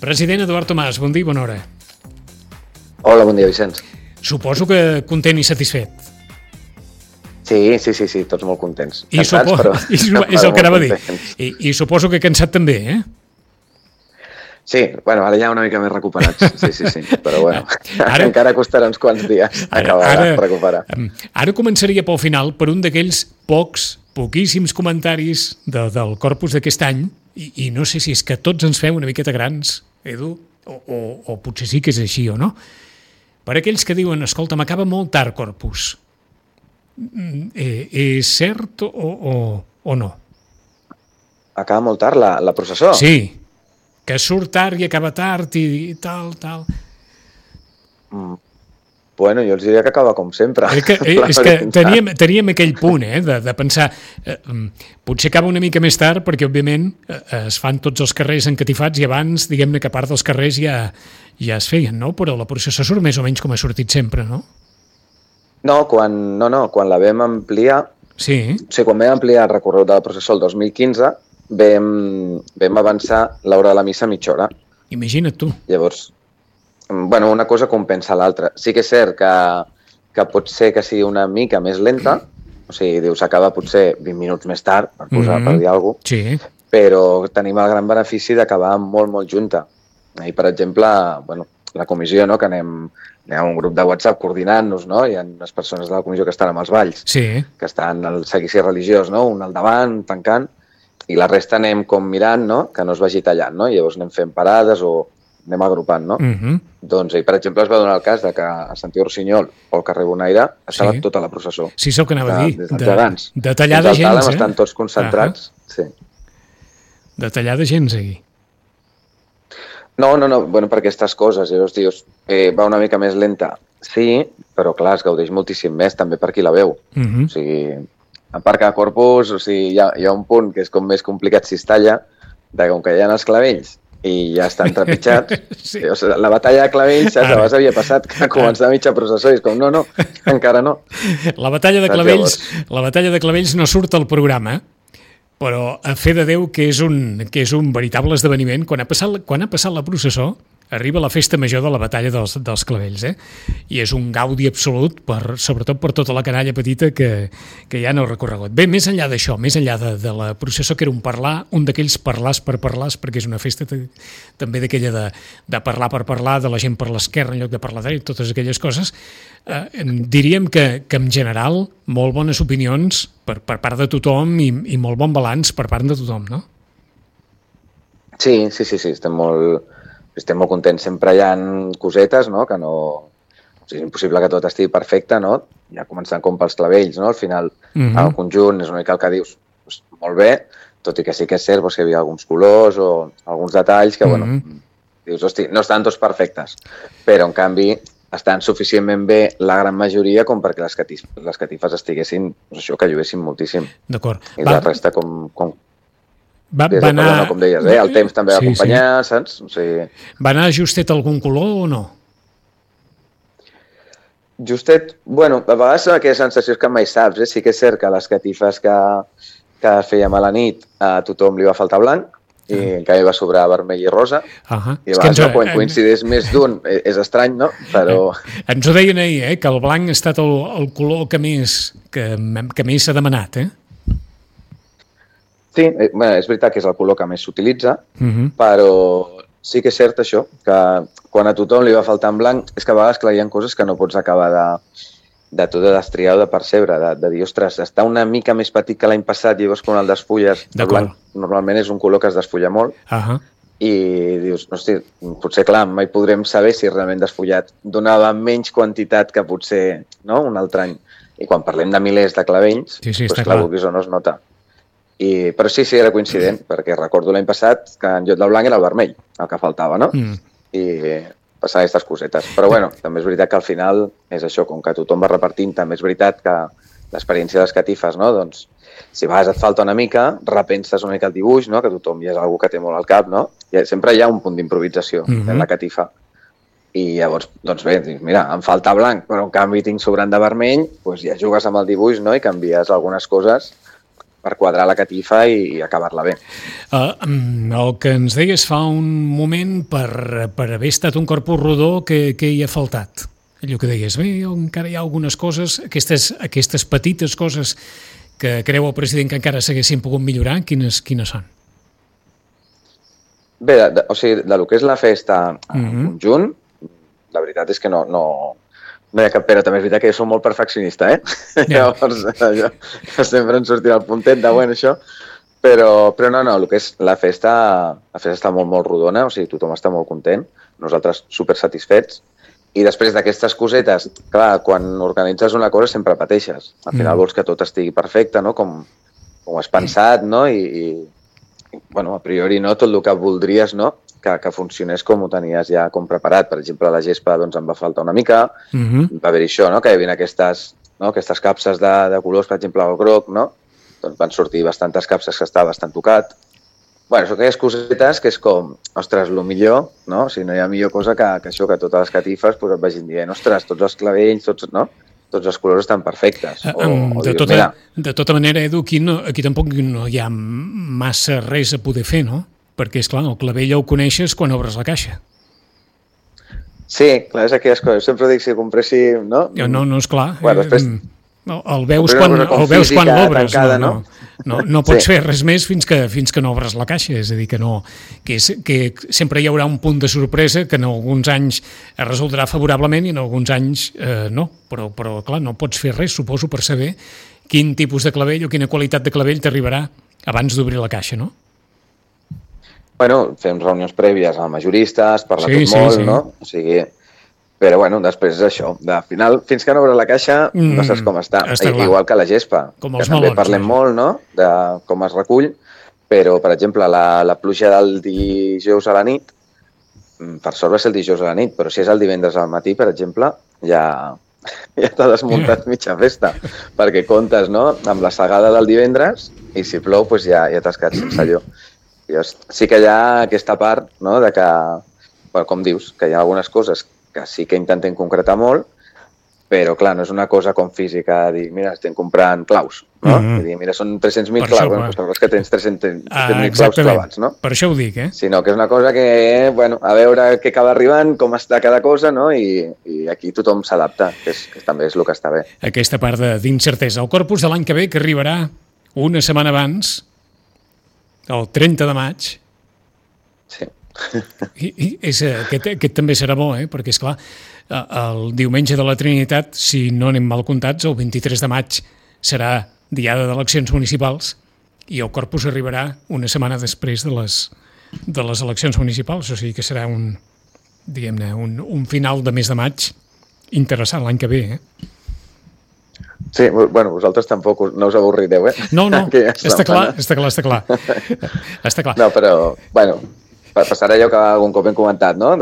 President Eduard Tomàs, bon dia i bona hora. Hola, bon dia, Vicenç. Suposo que content i satisfet. Sí, tots molt contents. Cansats, però és el que anava a dir. I suposo que cansat també, eh? Sí, bueno, ara ja una mica més recuperats. Sí, però bueno, encara costarà uns quants dies acabar de recuperar. Ara començaria pel final per un d'aquells poquíssims comentaris del corpus d'aquest any, i no sé si és que tots ens fem una miqueta grans, Edu, o potser sí que és així o no. Per aquells que diuen, escolta, m'acaba molt tard corpus. És cert o no? Acaba molt tard la processó? Sí, que surt tard i acaba tard i tal. Bueno, jo els diria que acaba com sempre. És que teníem aquell punt, de pensar, potser acaba una mica més tard perquè, òbviament, es fan tots els carrers encatifats i abans, diguem-ne que part dels carrers ja es feien, no? Però la processó surt més o menys com ha sortit sempre, no? No, quan la vam ampliar, sí. O sigui, quan vam ampliar el recorregut de la processó el 2015, vam avançar l'hora de la missa mitja hora. Imagina't tu. Llavors, bueno, una cosa compensa l'altra. Sí que és cert que pot ser que sigui una mica més lenta, o sigui, dius, acaba potser 20 minuts més tard, per dir alguna cosa, sí. Però tenim el gran benefici d'acabar molt, molt junta. I, per exemple, bueno, la comissió, no?, que anem a un grup de WhatsApp coordinant-nos, no?, hi ha unes persones de la comissió que estan amb els balls, sí, que estan al seguici religiós, no?, un al davant, tancant, i la resta anem com mirant, no?, que no es vagi tallant, no?, i llavors anem fent parades o anem agrupant, no? Doncs, per exemple, es va donar el cas de que a Santiago Rossinyol o al carrer Bonaire estava tota la processó. Sí, és el que anava a dir. De tallada gens, estan tots concentrats. Sí. De tallada gens, aquí. No, bueno, per aquestes coses, llavors dius, va una mica més lenta. Sí, però clar, es gaudeix moltíssim més també per qui la veu. O sigui, a part que a Corpus, o sigui, hi ha un punt que és com més complicat si es talla, de com que hi ha els clavells i ja estan trepitjats. Sí. O sigui, la batalla de clavells, saps? Abans havia passat que començava mitja processó i és com, no, encara no. La batalla de clavells no surt al programa, però a fe de Déu que és un veritable esdeveniment. Quan ha passat la processó, arriba la festa major de la batalla dels clavells, i és un gaudi absolut, sobretot per tota la canalla petita que hi ha en el recorregut. Bé, més enllà d'això, més enllà de la processó, que era un d'aquells parlars per parlars, perquè és una festa també d'aquella de parlar per parlar, de la gent per l'esquerra en lloc de per la dreta, totes aquelles coses, diríem que en general molt bones opinions per part de tothom i molt bon balanç per part de tothom, no? Sí, estem molt contents. Sempre hi ha cosetes, no?, que no... O sigui, és impossible que tot estigui perfecte, no? Ja començant com pels clavells, no? Al final, el conjunt és una mica el que dius, molt bé, tot i que sí que és cert que hi havia alguns colors o alguns detalls que, bueno, dius, hosti, no estan tots perfectes, però, en canvi, estan suficientment bé la gran majoria com perquè les catifes estiguessin, doncs això, que lluessin moltíssim. D'acord. I la resta com va anar... com deies, el temps també va acompanyar, saps? O sigui... Va anar justet algun color o no? Justet, bueno, a vegades són aquelles sensacions que mai saps, Sí que és cert que les catifes que fèiem a la nit a tothom li va faltar blanc i en canvi va sobrar vermell i rosa. I a vegades quan coincideix més d'un és estrany, no? Però... Ens ho deien ahir, que el blanc ha estat el color que més s'ha demanat, Sí, és veritat que és el color que més s'utilitza, però sí que és cert això, que quan a tothom li va faltar en blanc, és que a vegades, clar, hi ha coses que no pots acabar de tot de destriar o de percebre, de dir, ostres, està una mica més petit que l'any passat, llavors quan el desfulles, el blanc normalment és un color que es desfulla molt, i dius, hosti, potser, clar, mai podrem saber si realment desfullat donava menys quantitat que potser, no?, un altre any. I quan parlem de milers de clavells, doncs clar, vulguis o no es nota. Però sí, era coincident, perquè recordo l'any passat que en lloc del blanc era el vermell, el que faltava, no? I passar aquestes cosetes. Però bueno, també és veritat que al final és això, com que tothom va repartint, també és veritat que l'experiència de les catifes, no? Doncs si a vegades et falta una mica, repenses una mica el dibuix, no? Que tothom ja és algú que té molt al cap, no? I sempre hi ha un punt d'improvisació en la catifa. I llavors, doncs bé, mira, em falta blanc, però en canvi tinc sobrant de vermell, doncs ja jugues amb el dibuix, no? I canvies algunes coses per quadrar la catifa i acabar-la bé. El que ens deies fa un moment, per haver estat un corpus rodó, què hi ha faltat? Allò que deies, bé, encara hi ha algunes coses, aquestes petites coses que creu el president que encara s'haguessin pogut millorar, quines són? Bé, o sigui, de lo que és la festa en conjunt, la veritat és que no hi ha cap pena. També és veritat que jo soc molt perfeccionista, Llavors, allò, sempre em sortirà el puntet de, bueno, això. Però no, el que és la festa està molt, molt rodona, o sigui, tothom està molt content, nosaltres super satisfets. I després d'aquestes cosetes, clar, quan organitzes una cosa sempre pateixes. Al final vols que tot estigui perfecte, no? Com has pensat, no? I bueno, a priori no, tot el que voldries, no? Que funcionés com ho tenies ja com preparat. Per exemple, la gespa doncs, em va faltar una mica, va haver-hi això, no? Que hi havia aquestes capses de colors, per exemple, el groc, no? Doncs van sortir bastantes capses que estava bastant tocat. Bueno, són aquelles cosetes que és com, ostres, el millor, no? O sigui, no hi ha millor cosa que això, que totes les catifes pues, et vagin dient, ostres, tots els clavells, no? Tots els colors estan perfectes. De tota manera, Edu, aquí tampoc no hi ha massa res a poder fer, no? Perquè, esclar, el clavell ja ho coneixes quan obres la caixa. Sí, clar, és aquelles coses. Sempre dic, si compréssim, no? No, esclar. Bueno, després... El veus quan l'obres, no pots fer res més fins que no obres la caixa, és a dir, que sempre hi haurà un punt de sorpresa que en alguns anys es resoldrà favorablement i en alguns anys no, però clar, no pots fer res, suposo, per saber quin tipus de clavell o quina qualitat de clavell t'arribarà abans d'obrir la caixa, no? Bueno, fem reunions prèvies amb majoristes, parlar tot molt, no? O sigui... Però, bueno, després és això. Al final, fins que no obres la caixa, no saps com està. Igual que la gespa, com que també parlem molt, no?, de com es recull, però, per exemple, la pluja del dijous a la nit, per sort va ser el dijous a la nit, però si és el divendres al matí, per exemple, ja t'ha desmuntat mitja festa, perquè comptes, no?, amb la segada del divendres, i si plou, doncs ja t'has quedat sense allò. Sí que hi ha aquesta part, no?, de que, com dius, que hi ha algunes coses que sí que intentem concretar molt, però, clar, no és una cosa com física, dir, mira, estem comprant claus, no? Dir, mira, són 300.000 claus, bueno, doncs que tens 300.000 claus clavats, no? Per això ho dic, Sinó que és una cosa que, bueno, a veure què acaba arribant, com està cada cosa, no? I aquí tothom s'adapta, que també és el que està bé. Aquesta part d'incertesa. El corpus de l'any que ve, que arribarà una setmana abans, el 30 de maig, sí. I aquest també serà bo, perquè, esclar, el diumenge de la Trinitat, si no anem mal comptats, el 23 de maig serà diada d'eleccions municipals i el corpus arribarà una setmana després de les eleccions municipals, o sigui que serà un final de mes de maig interessant l'any que ve, Sí, bueno, vosaltres tampoc no us avorrireu, No, està clar. No, però, bueno... Passar allò que algun cop hem comentat, no?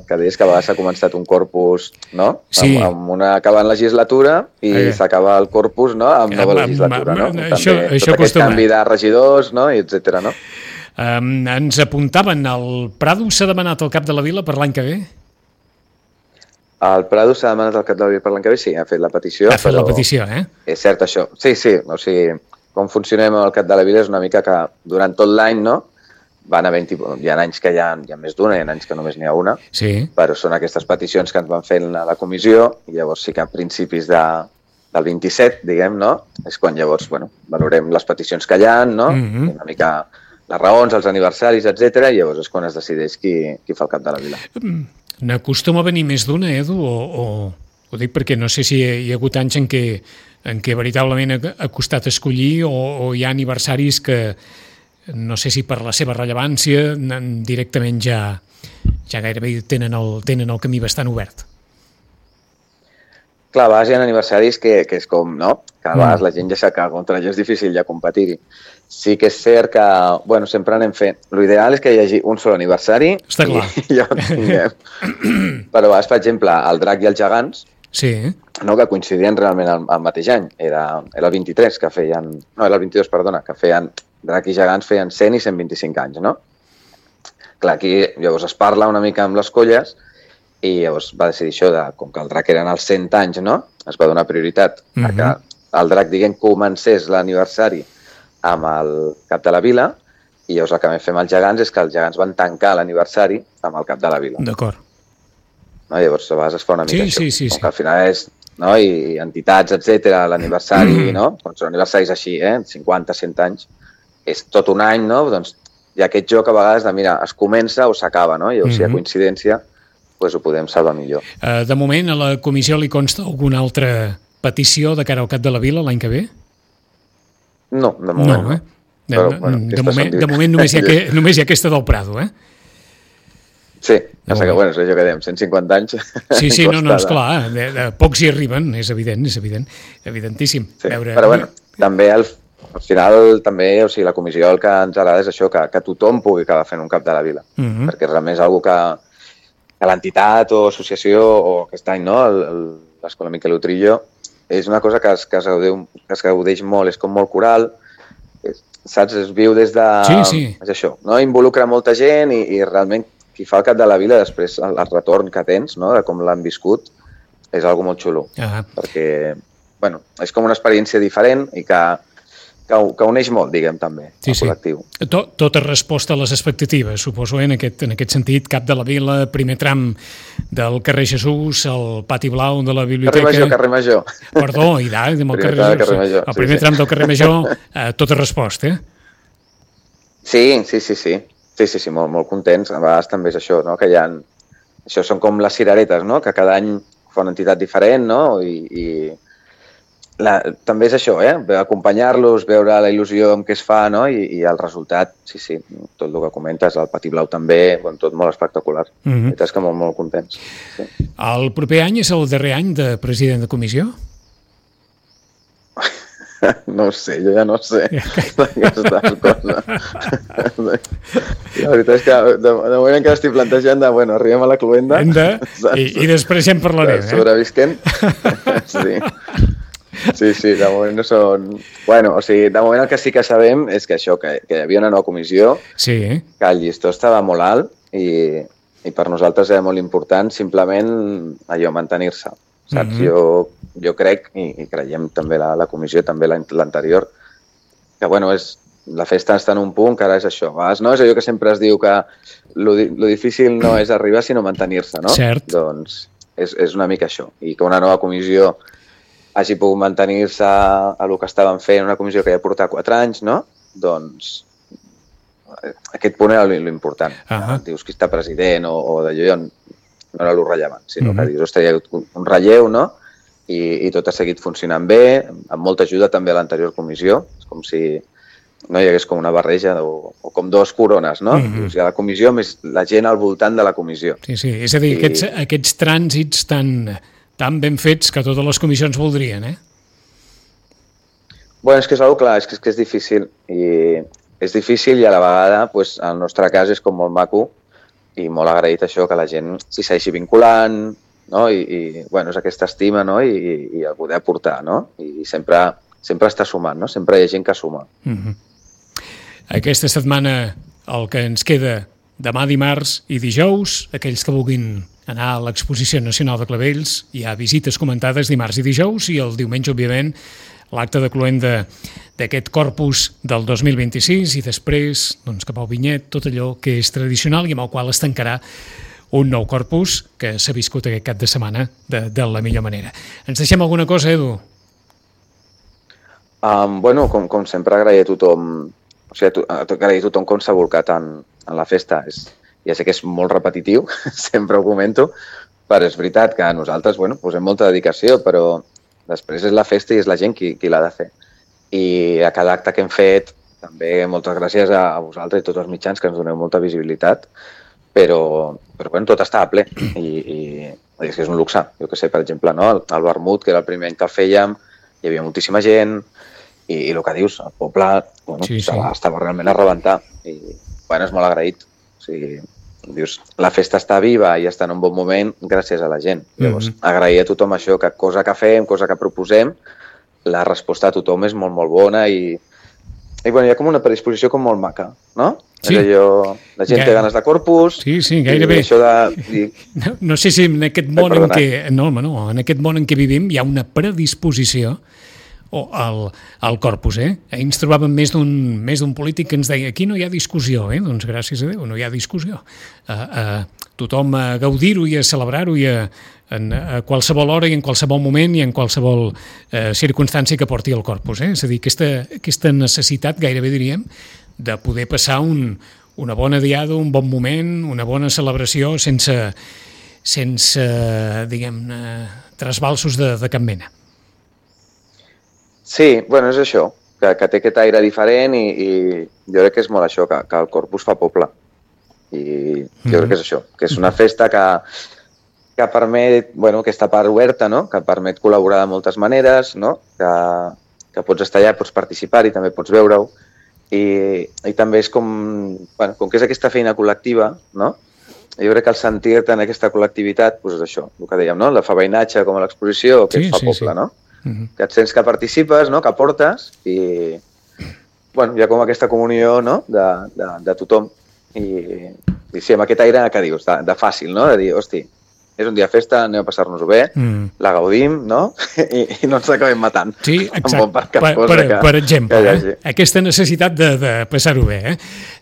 Que deies que a vegades s'ha començat un corpus, no? Sí. Amb una acabant legislatura i s'acaba el corpus, no? Amb nova legislatura, no? Això tot aquest canvi de regidors, no? I etcètera, no? Ens apuntaven, el Prado s'ha demanat al cap de la vila per l'any que ve? El Prado s'ha demanat al cap de la vila per l'any que ve, sí, ha fet la petició. Ha fet la petició, És cert, això. Sí, o sigui, com funcionem amb el cap de la vila és una mica que durant tot l'any, no? Van havent-hi, hi ha anys que hi ha més d'una, hi ha anys que només n'hi ha una, però són aquestes peticions que ens van fent a la comissió, i llavors sí que a principis del 27, diguem, no? És quan llavors, bueno, valorem les peticions que hi ha, no? Una mica les raons, els aniversaris, etc. I llavors és quan es decideix qui fa el cap de la vila. N'acostuma a venir més d'una, Edu, o ho dic perquè no sé si hi ha hagut anys en què veritablement ha costat escollir o hi ha aniversaris que no sé si per la seva rellevància directament ja gairebé tenen el camí bastant obert. Clar, a vegades hi ha aniversaris que és com, no? Que a vegades la gent ja sap que contra allò és difícil ja competir-hi. Sí que és cert que, bueno, sempre anem fent... L'ideal és que hi hagi un sol aniversari i ja ho tinguem. Però a vegades, per exemple, el Drac i els Gegants, no, que coincidien realment el mateix any. Era el 23 que feien... No, era el 22, perdona, que feien... Drac i Gegants feien 100 i 125 anys, no? Clar, aquí llavors es parla una mica amb les colles i llavors va decidir això, com que el Drac eren els 100 anys, no? Es va donar prioritat a que el Drac, diguem, comencés l'aniversari amb el cap de la vila, i llavors el que vam fer amb els gegants és que els gegants van tancar l'aniversari amb el cap de la vila. D'acord. No? Llavors, a vegades es fa una mica això. Sí. Que al final és, no? I entitats, etc, l'aniversari, no? Quan són aniversaris així, 50, 100 anys, és tot un any, no? Doncs hi ha aquest joc a vegades de, mira, es comença o s'acaba, no? I si hi ha coincidència, doncs ho podem salvar millor. De moment, a la comissió li consta alguna altra petició de cara al cap de la vila l'any que ve? No, de moment no. Però, de moment només hi ha aquesta del Prado, Sí, passa que, és allò que dèiem, 150 anys... Sí, no, esclar, de pocs hi arriben, és evidentíssim. Sí, però també al final, també, o sigui, la comissió el que ens agrada és això, que tothom pugui acabar fent un cap de la vila, perquè realment és una cosa que l'entitat o associació, o aquest any, no?, l'Escola Miquel Utrillo, és una cosa que es gaudeix molt, és com molt coral, saps? Es viu des de... Sí. És això, no? Involucra molta gent i realment qui fa el cap de la vila, després el retorn que tens, no?, de com l'han viscut, és algo molt xulo. Perquè, és com una experiència diferent i que uneix molt, diguem, també, el col·lectiu. Tota resposta a les expectatives, suposo, en aquest sentit, cap de la vila, primer tram del carrer Jesús, el pati blau de la biblioteca... Carrer Major. Perdó, i el primer tram del carrer Major, tota resposta, Sí, molt contents. A vegades també és això, no?, que hi ha... Això són com les cireretes, no?, que cada any fa una entitat diferent, no?, i també és això, acompanyar-los, veure la il·lusió amb què es fa, no?, i el resultat, sí, tot el que comentes, el pati blau també, tot molt espectacular. És que molt contents. Sí. El proper any és el darrer any de president de comissió? No ho sé, jo ja no sé aquestes coses. La veritat és que de moment encara estic plantejant de, arribem a la cluenda i després ja en parlarem. Sobrevisquent. Sí, de moment no són... de moment el que sí que sabem és que això, que hi havia una nova comissió, que el llistó estava molt alt i per nosaltres era molt important simplement allò, mantenir-se. Saps? Jo crec, i creiem també la comissió, també l'anterior, que la festa està en un punt que ara és això. No és allò que sempre es diu que lo difícil no és arribar sinó mantenir-se, no? Cert. Doncs és una mica això. I que una nova comissió hagi pogut mantenir-se a el que estaven fent, una comissió que ja porta 4 anys, no? Doncs aquest punt era l'important. Dius qui està president o d'allò, no era el rellevant, sinó que dius, hi ha un relleu, no? I tot ha seguit funcionant bé, amb molta ajuda també a l'anterior comissió. És com si no hi hagués com una barreja o com dues corones, no? Hi ha la comissió més la gent al voltant de la comissió. Sí, és a dir, aquests trànsits tan ben fets que totes les comissions voldrien, És que és una cosa clar, és que és difícil. I és difícil i a la vegada, en el nostre cas, és com molt maco i molt agraït això, que la gent s'hi segueixi vinculant, no? I és aquesta estima, no? I el poder aportar, no? I sempre està sumant, no? Sempre hi ha gent que suma. Aquesta setmana el que ens queda demà dimarts i dijous, aquells que vulguin anar a l'Exposició Nacional de Clavells, hi ha visites comentades dimarts i dijous i el diumenge, òbviament, l'acte de cloenda d'aquest corpus del 2026 i després, cap al vinyet, tot allò que és tradicional i amb el qual es tancarà un nou corpus que s'ha viscut aquest cap de setmana de la millor manera. Ens deixem alguna cosa, Edu? Com sempre, agrair a tothom, agrair a tothom com s'ha volcat en la festa. Ja sé que és molt repetitiu, sempre ho comento, però és veritat que nosaltres posem molta dedicació, però després és la festa i és la gent qui l'ha de fer. I a cada acte que hem fet, també moltes gràcies a vosaltres i tots els mitjans que ens doneu molta visibilitat, però tot està a ple i és que és un luxe. Jo que sé, per exemple, no? El vermut, que era el primer any que el fèiem, hi havia moltíssima gent i el que dius, el poble estava realment a rebentar i és molt agraït. O sigui, dius, la festa està viva i està en un bon moment gràcies a la gent. Llavors, agrair a tothom això, que cosa que fem, cosa que proposem, la resposta a tothom és molt, molt bona i hi ha com una predisposició com molt maca, no? Sí. És allò, la gent té ganes de corpus. Sí, gairebé. No sé si en aquest món en què vivim hi ha una predisposició al Corpus. Ahir ens trobàvem més d'un polític que ens deia aquí no hi ha discussió, doncs gràcies a Déu no hi ha discussió. Tothom a gaudir-ho i a celebrar-ho i a qualsevol hora i en qualsevol moment i en qualsevol circumstància que porti el Corpus. És a dir, aquesta necessitat, gairebé diríem, de poder passar una bona diada, un bon moment, una bona celebració sense diguem-ne, trasbalsos de cap mena. Sí, bueno, és això, que té aquest aire diferent i jo crec que és molt això, que el Corpus fa poble. I jo crec que és això, que és una festa que permet, bueno, aquesta part oberta, no? Que permet col·laborar de moltes maneres, no? Que pots estar allà, pots participar i també pots veure-ho. I també és com que és aquesta feina col·lectiva, no? Jo crec que el sentir-te en aquesta col·lectivitat, doncs és això, el que dèiem, no? La fa veïnatge com a l'exposició, que et fa poble, no? Que et sents que participes, no? Que aportes i hi ha com aquesta comunió, no? De tothom. I sí, amb aquest aire que dius, de fàcil, no? De dir, hosti, és un dia de festa, anem a passar-nos-ho bé, la gaudim, no? I no ens acabem matant. Sí, exacte. Per exemple, aquesta necessitat de passar-ho bé.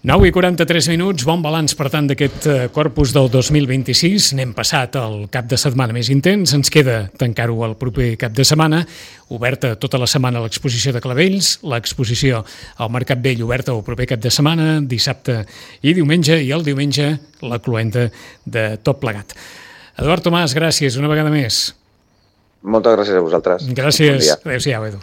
9:43, bon balanç, per tant, d'aquest Corpus del 2026. N'hem passat el cap de setmana més intens, ens queda tancar-ho el proper cap de setmana, oberta tota la setmana l'exposició de Clavells, l'exposició al Mercat Vell oberta el proper cap de setmana, dissabte i diumenge, i el diumenge la cloenda de tot plegat. Eduard Tomàs, gràcies una vegada més. Moltes gràcies a vosaltres. Gràcies. Adéu-siau, Edu.